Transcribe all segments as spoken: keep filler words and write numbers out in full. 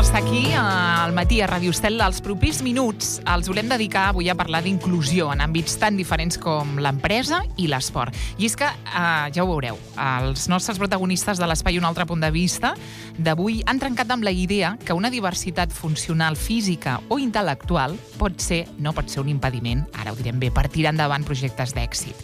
estar aquí al matí a Ràdio Estel. Els propers minuts els volem dedicar avui a parlar d'inclusió en àmbits tan diferents com l'empresa i l'esport. I és que, eh, ja ho veureu, els nostres protagonistes de l'Espai Un altre punt de vista d'avui han trencat amb la idea que una diversitat funcional física o intel·lectual pot ser, no pot ser un impediment, ara ho direm bé, per tirar endavant projectes d'èxit.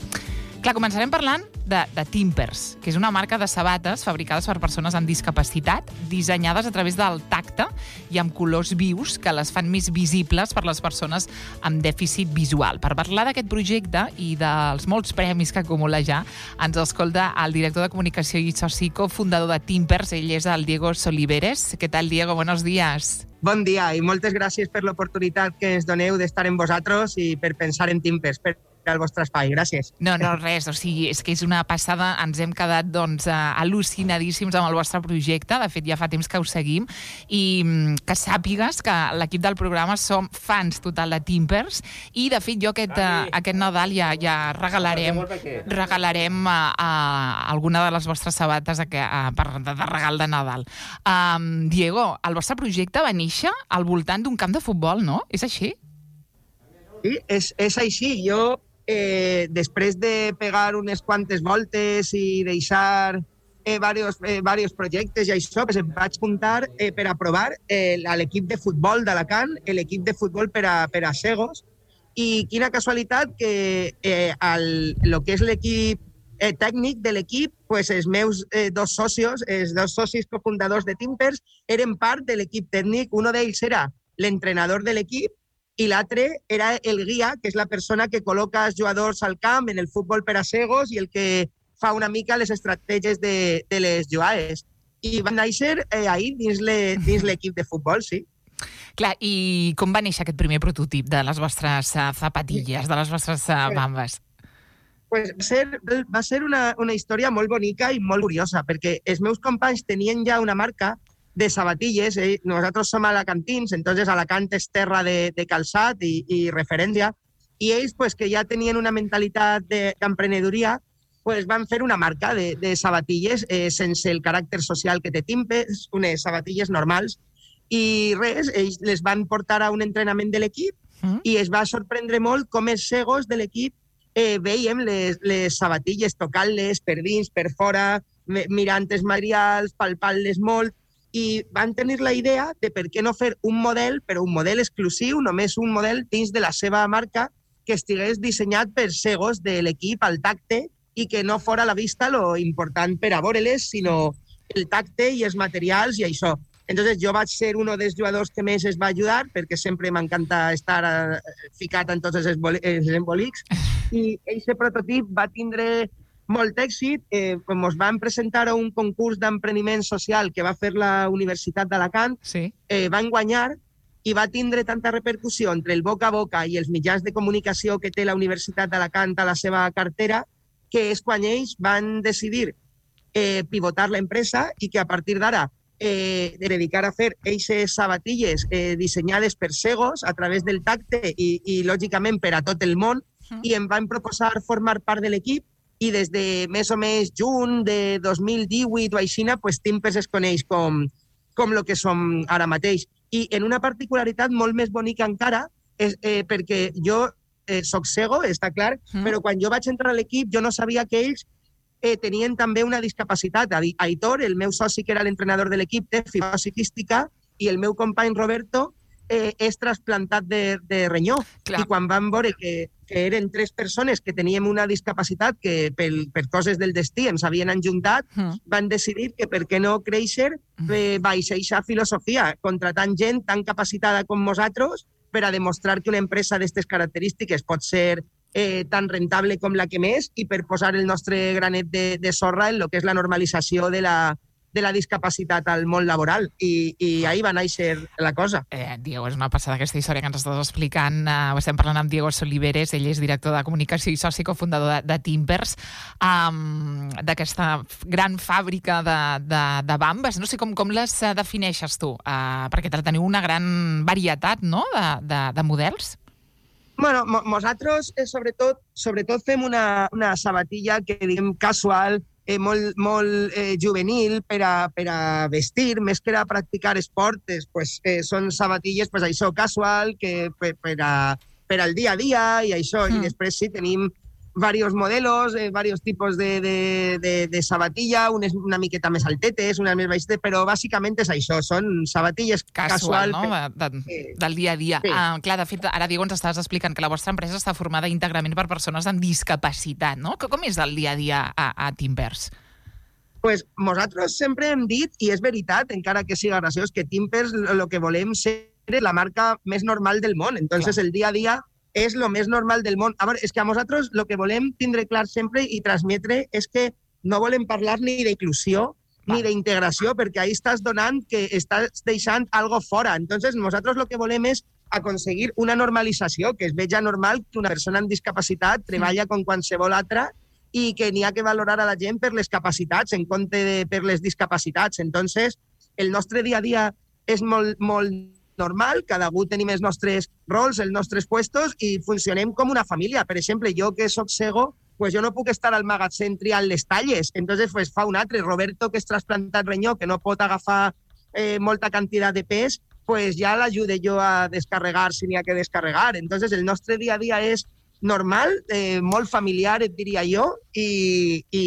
Clar, començarem parlant de, de Timpers, que és una marca de sabates fabricades per persones amb discapacitat, dissenyades a través del tacte i amb colors vius que les fan més visibles per les persones amb dèficit visual. Per parlar d'aquest projecte i dels molts premis que acumula ja, ens escolta el director de comunicació i soci cofundador de Timpers, ell és el Diego Soliveres. Què tal, Diego? Buenos días. Bon dia i moltes gràcies per l'oportunitat que ens doneu d'estar amb vosaltres i per pensar en Timpers, per al vostre espai. Gràcies. No, no, res. O sigui, és que és una passada. Ens hem quedat, doncs, al·lucinadíssims amb el vostre projecte. De fet, ja fa temps que ho seguim. I que sàpigues que l'equip del programa som fans total de Timpers i, de fet, jo aquest, uh, aquest Nadal ja, ja regalarem, regalarem uh, uh, alguna de les vostres sabates uh, per, de, de regal de Nadal. Um, Diego, el vostre projecte va néixer al voltant d'un camp de futbol, no? És així? Sí, és, és així. Jo Eh, després de pegar unes quantes voltes i deixar eh, varios, eh, varios projectes i això, pues em vaig apuntar eh, per a provar eh, l'equip de futbol d'Alacant, l'equip de futbol per a, per a cegos, i quina casualitat que eh, el, el que és l'equip eh, tècnic de l'equip, pues els meus eh, dos socios, els dos socis cofundadors de Timpers, eren part de l'equip tècnic. Un d'ells era l'entrenador de l'equip i l'altre era el guia, que és la persona que col·loca els jugadors al camp en el futbol per a cegos i el que fa una mica les estratègies de, de les jugades. I van néixer eh, ahir dins l'equip de futbol, sí. Clar, i com va néixer aquest primer prototip de les vostres uh, zapatilles, de les vostres uh, bambes? Pues va ser, va ser una, una història molt bonica i molt curiosa, perquè els meus companys tenien ja una marca de sabatilles. Eh? Nosaltres som alacantins, entonces Alacant és terra de, de calçat i, i referència, i ells, pues, que ja tenien una mentalitat d'emprenedoria, pues, van fer una marca de, de sabatilles eh, sense el caràcter social que té Timpers, unes sabatilles normals, i res, ells les van portar a un entrenament de l'equip mm. i es va sorprendre molt com els cegos de l'equip eh, veiem les, les sabatilles, tocant-les per dins, per fora, mirant els materials, palpant-les molt, i van tenir la idea de per què no fer un model, però un model exclusiu, només un model dins de la seva marca que estigués dissenyat per cegos de l'equip al tacte i que no fora a la vista lo important per a veure-les, sinó el tacte i els materials i això. Entonces jo vaig ser un dels jugadors que més es va ajudar, perquè sempre m'encanta estar ficat en tots els embolics, i aquest prototip va tindre molt èxit. Eh, com ens van presentar a un concurs d'empreniment social que va fer la Universitat d'Alacant, sí. eh, van guanyar i va tindre tanta repercussió entre el boca a boca i els mitjans de comunicació que té la Universitat d'Alacant a la seva cartera, que és quan ells van decidir eh, pivotar l'empresa i que a partir d'ara eh, de dedicar a fer eixes sabatilles eh, dissenyades per cegos a través del tacte i, i lògicament per a tot el món, uh-huh. i em van proposar formar part de l'equip. I des de més o més juny de dos mil divuit o així, pues, Timpers es coneix com, com el que som ara mateix. I en una particularitat molt més bonica encara, és, eh, perquè jo eh, soc cego, està clar, mm. però quan jo vaig entrar a l'equip jo no sabia que ells eh, tenien també una discapacitat. Aitor, el meu soci que era l'entrenador de l'equip, té fibrosi quística, i el meu company Roberto eh, és trasplantat de, de renyó. Clar. I quan vam veure que que eren tres persones que teníem una discapacitat que per, per coses del destí ens havien enjuntat, mm. van decidir que per què no créixer eh, baix eixa filosofia, contratant gent tan capacitada com nosaltres per a demostrar que una empresa d'aquestes característiques pot ser eh, tan rentable com la que més i per posar el nostre granet de, de sorra en el que és la normalització de la, de la discapacitat al món laboral, i, i ahir va néixer la cosa. Eh, Diego, és una passada aquesta història que ens estàs explicant. Uh, estem parlant amb Diego Soliveres, ell és director de comunicació i soci cofundador de, de Timpers, um, d'aquesta gran fàbrica de, de, de bambes. No sé com, com les defineixes tu, uh, perquè teniu una gran varietat, no?, de, de, de models. Bueno, nosaltres, eh, sobretot, sobretot fem una, una sabatilla que diguem casual, eh, molt, molt eh, juvenil per a, per a vestir, més que a practicar esportes, pues, eh, són sabatilles, pues, això, casual, que per, per, a, per al dia a dia i això. Mm. I després sí, tenim varios modelos, eh, varios tipos de, de, de, de sabatilla, unes una miqueta més altetes, unes més baixetes, però bàsicament és això, són sabatilles casual, casual. No? De, de, eh, del dia a dia. Sí. Ah, clar, de fet, ara, Diego, ens estaves explicant que la vostra empresa està formada íntegrament per persones amb discapacitat, no? Com és el dia a dia a, a Timpers? Pues nosaltres sempre hem dit, i és veritat, encara que siga graciós, que Timpers el que volem ser la marca més normal del món. Entonces, clar, el dia a dia és lo més normal del món. A veure, és que a nosaltres el que volem tindre clar sempre i transmetre és que no volem parlar ni d'inclusió ni d'integració, perquè ahí estàs donant que estàs deixant algo fora. Entonces, nosaltres el que volem és aconseguir una normalització, que es veja normal que una persona amb discapacitat treballa com qualsevol altra i que n'hi ha que valorar a la gent per les capacitats en compte de per les discapacitats. Entonces, el nostre dia a dia és molt, molt normal, cada algú tenim els nostres rols, els nostres puestos i funcionem com una família. Per exemple, jo que soc cego, pues jo no puc estar al magatzem triant les talles, entonces pues fa un altre. Roberto, que és trasplantat renyó, que no pot agafar eh, molta quantitat de pes, pues ja l'ajude jo a descarregar si n'hi ha que descarregar. Entonces el nostre dia a dia és normal, eh, molt familiar, et diria jo, i, i,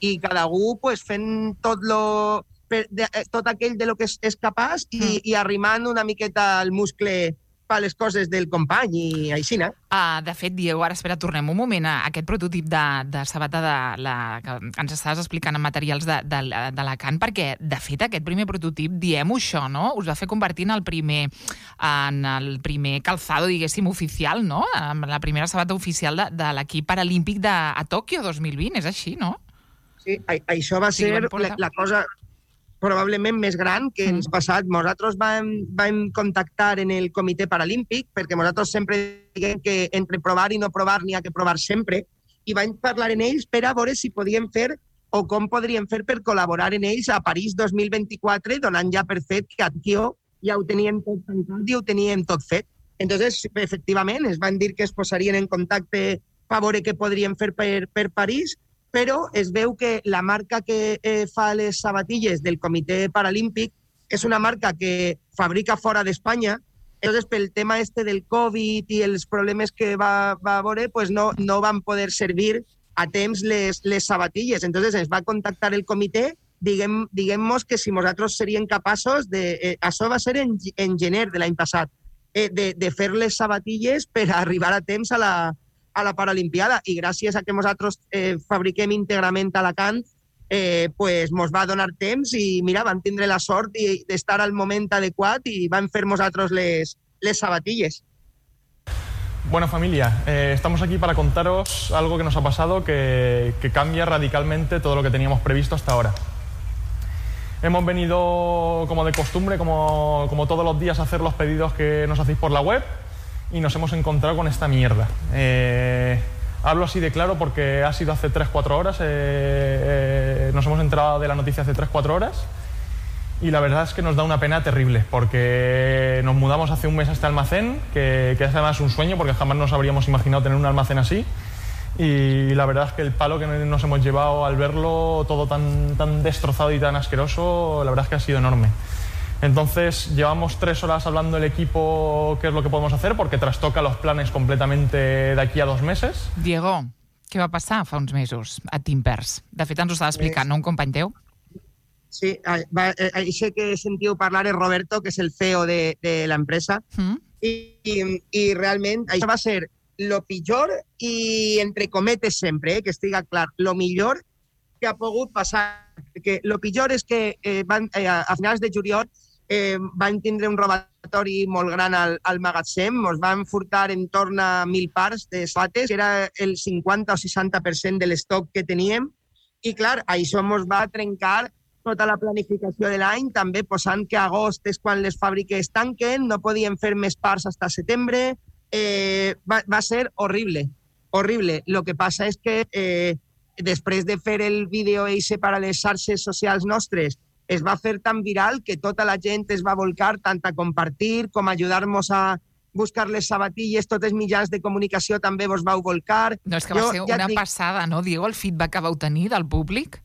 i cada algú pues, fent tot lo... De, tot aquell de lo que és, és capaç i, mm. i arrimant una miqueta el muscle per les coses del company i així, no? Uh, de fet, Diego, ara espera, tornem un moment a aquest prototip de, de sabata de la, que ens estaves explicant en materials de, de, de la Can, perquè, de fet, aquest primer prototip, diem-ho això, no? Us va fer convertir en el primer, en el primer calzado, diguéssim, oficial, no? En la primera sabata oficial de, de l'equip paralímpic de, a Tòquio dos mil vint, és així, no? Sí, a, això va ser la, la cosa probablement més gran que ens ha passat. Nosaltres vam, vam contactar en el comitè paralímpic, perquè nosaltres sempre diguem que entre provar i no provar n'hi ha que provar sempre, i vam parlar en ells per a veure si podíem fer o com podríem fer per col·laborar en ells a París dos mil vint-i-quatre, donant ja per fet que a Tòquio ja ho teníem tot tancat i ho teníem tot fet. Entonces, efectivament, es van dir que es posarien en contacte per veure què podríem fer per, per París, però es veu que la marca que eh, fa les sabatilles del Comitè Paralímpic és una marca que fabrica fora d'Espanya. Entonces, pel tema este del Covid i els problemes que va, va veure, pues no, no van poder servir a temps les, les sabatilles. Entonces, ens va contactar el comitè, diguem, diguem-nos que si nosaltres seríem capaços de... Eh, això va ser en, en gener de l'any passat, eh, de, de fer les sabatilles per arribar a temps a la, a la Paralimpiada, i gràcies a que nosaltres eh, fabriquem íntegrament a Alacant, eh, pues mos va donar temps i mira, vam tindre la sort d'estar al moment adequat i vam fer nosaltres les, les sabatilles. Bueno, familia, eh, estamos aquí para contaros algo que nos ha pasado que, que cambia radicalmente todo lo que teníamos previsto hasta ahora. Hemos venido, como de costumbre, como, como todos los días, a hacer los pedidos que nos hacéis por la web, y nos hemos encontrado con esta mierda. Eh, hablo así de claro porque ha sido hace tres cuatro horas, eh, eh, nos hemos enterado de la noticia hace tres cuatro horas, y la verdad es que nos da una pena terrible, porque nos mudamos hace un mes a este almacén, que, que es además un sueño, porque jamás nos habríamos imaginado tener un almacén así, y la verdad es que el palo que nos hemos llevado al verlo todo tan, tan destrozado y tan asqueroso, la verdad es que ha sido enorme. Entonces, llevamos tres horas hablando el equipo qué es lo que podemos hacer, porque trastoca los planes completamente de aquí a dos meses. Diego, què va passar fa uns mesos a Timpers? De fet, ens ho estava explicant, no? Un company teu? Sí, això que sentiu parlar és Roberto, que és el C E O de, de l'empresa, mm. I, i, i realment això va ser lo pitjor i, entre cometes sempre, eh, que estiga clar, lo millor que ha pogut passar. Perquè lo pitjor és que eh, van, eh, a finals de juliol eh, van tindre un robatori molt gran al, al magatzem, ens van furtar en torn a mil parts de sabates, que era el cinquanta o seixanta per cent de l'estoc que teníem, i clar, això ens va trencar tota la planificació de l'any, també posant que a agost és quan les fàbriques tanquen, no podien fer més parts fins a setembre, eh, va, va ser horrible, horrible. Lo que passa és que eh, després de fer el vídeo eixe per a les xarxes socials nostres, es va fer tan viral que tota la gent es va volcar tant a compartir com a ajudar-nos a buscar les sabatilles, tots els mitjans de comunicació també vos vau volcar. No, és que va jo, ser ja una dic... passada, no, Diego, el feedback que vau tenir del públic?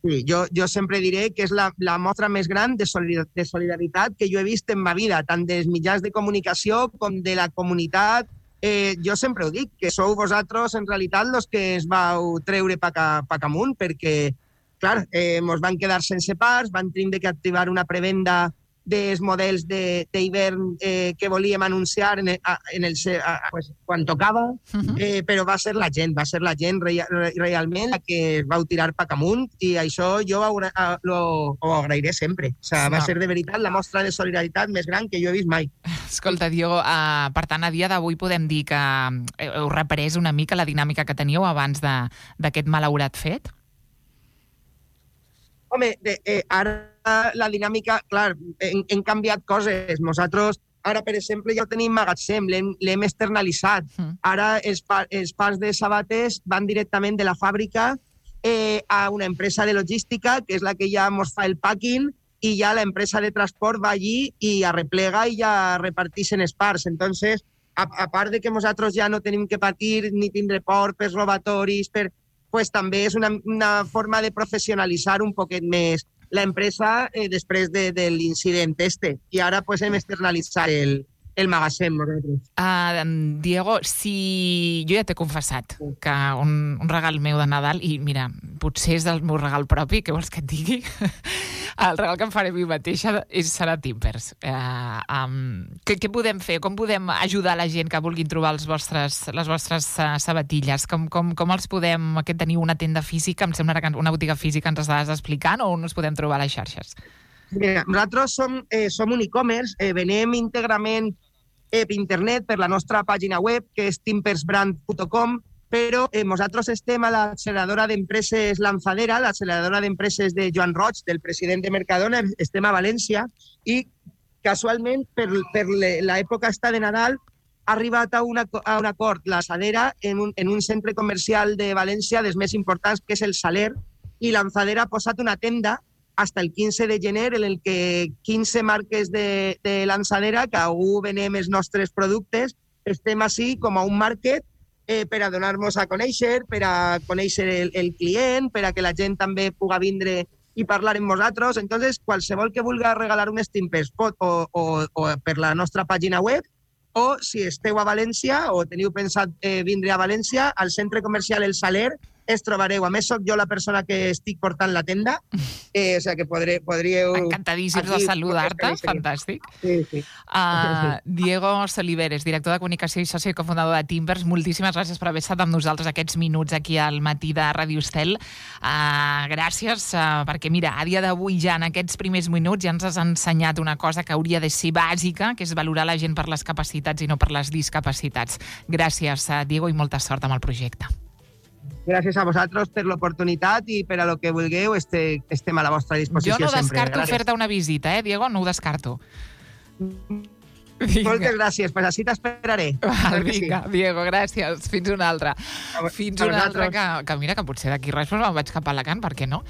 Sí, jo, jo sempre diré que és la, la mostra més gran de, solidar, de solidaritat que jo he vist en ma vida, tant dels mitjans de comunicació com de la comunitat. Eh, jo sempre ho dic, que sou vosaltres en realitat els que es vau treure pa, pa amunt, perquè, clar, eh, mos van quedar sense parts, van tindre que activar una prevenda dels models d'hivern eh, que volíem anunciar en el, en el, a, pues, quan tocava, uh-huh. eh, però va ser la gent, va ser la gent re, re, realment la que es vau tirar pa amunt, i això jo ho, ho, ho agrairé sempre. O sigui, va ser de veritat la mostra de solidaritat més gran que jo he vist mai. Escolta, Diego, uh, per tant, a dia d'avui podem dir que heu reprès una mica la dinàmica que teníeu abans d'aquest malaurat fet? Home, de, eh, ara la dinàmica, clar, hem, hem canviat coses. Nosaltres, ara, per exemple, ja tenim magatzem, l'hem externalitzat. Mm. Ara els, pa, els parts de sabates van directament de la fàbrica eh, a una empresa de logística, que és la que ja ens fa el packing, i ja la empresa de transport va allí i arreplega i ja reparteixen els parts. Entonces, a, a part de que nosaltres ja no tenim que patir ni tindre por per robatoris, per... pues també és una, una forma de professionalitzar un poquet més la empresa eh, després de, de l'incident este. I ara pues, hem externalitzat el, el magatzem. Uh, Diego, si jo ja t'he confessat que un, un regal meu de Nadal, i mira, potser és el meu regal propi, què vols que et digui? El regal que em faré a mi mateixa és, serà Timbers. Uh, um, què, què podem fer? Com podem ajudar la gent que vulguin trobar els vostres, les vostres uh, sabatilles? Com, com, com els podem... Que teniu una tenda física, em sembla que una botiga física ens estàs explicant, o on ens podem trobar a les xarxes? Mira, nosaltres som, eh, som un e-commerce, eh, venem íntegrament eh, per internet, per la nostra pàgina web, que és timbersbrand punt com, però eh, nosaltres estem a l'acceleradora d'empreses Lanzadera, l'acceleradora d'empreses de Joan Roig, del president de Mercadona, estem a València, i casualment, per, per l'època esta de Nadal, ha arribat a, una, a un acord Lanzadera en un, en un centre comercial de València, dels més importants, que és el Saler, i Lanzadera ha posat una tenda hasta el quinze de gener, en el que quinze marques de, de Lanzadera, que algú venem els nostres productes, estem així com a un market eh, per a donar-nos a conèixer, per a conèixer el, el client, per a que la gent també puga vindre i parlar amb nosaltres. Entonces, qualsevol que vulgui regalar un Timbers pot o, o, o per la nostra pàgina web, o si esteu a València o teniu pensat eh, vindre a València, al centre comercial El Saler, es trobareu. A més, soc jo la persona que estic portant la tenda, eh, o sigui que podré, podríeu... Encantadíssims de saludar-te, fantàstic. Sí, sí. Uh, Diego Soliveres, director de comunicació i soci i cofundador de Timbers, moltíssimes gràcies per haver estat amb nosaltres aquests minuts aquí al matí de Ràdio Estel. Uh, gràcies, uh, perquè mira, a dia d'avui ja en aquests primers minuts ja ens has ensenyat una cosa que hauria de ser bàsica, que és valorar la gent per les capacitats i no per les discapacitats. Gràcies, uh, Diego, i molta sort amb el projecte. Gràcies a vosaltres per l'oportunitat i per a lo que vulgueu, este, estem a la vostra disposició sempre. Jo no descarto fer-te una visita, eh, Diego? No ho descarto. Vinga. Moltes gràcies, pues així t'esperaré. Vinga, sí. Diego, gràcies. Fins una altra. A, Fins a una altra, que, que mira, que potser d'aquí res me'n vaig cap a Alacant, per què no?